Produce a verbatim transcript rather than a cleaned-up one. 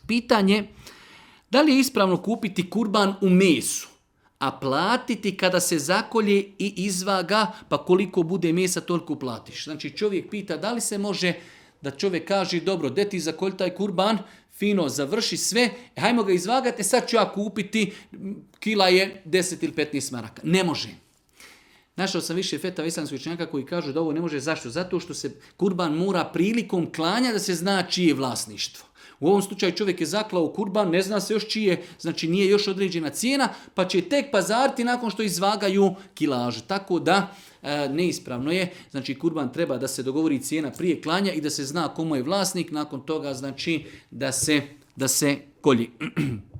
Pitanje, da li je ispravno kupiti kurban u mesu, a platiti kada se zakolje i izvaga, pa koliko bude mesa, toliko platiš. Znači čovjek pita da li se može da čovjek kaže, dobro, de ti zakolj taj kurban, fino završi sve, hajmo ga izvagati, sad ću ja kupiti, kila je deset ili petnaest maraka. Ne može. Našao sam više fetava islamskih učenjaka koji kažu da ovo ne može. Zašto? Zato što se kurban mora prilikom klanja da se zna čije je vlasništvo. U ovom slučaju čovjek je zaklao kurban, ne zna se još čije, znači nije još određena cijena, pa će tek pazariti nakon što izvagaju kilažu. Tako da e, neispravno je, znači kurban treba da se dogovori cijena prije klanja i da se zna komu je vlasnik, nakon toga znači da se, da se kolji.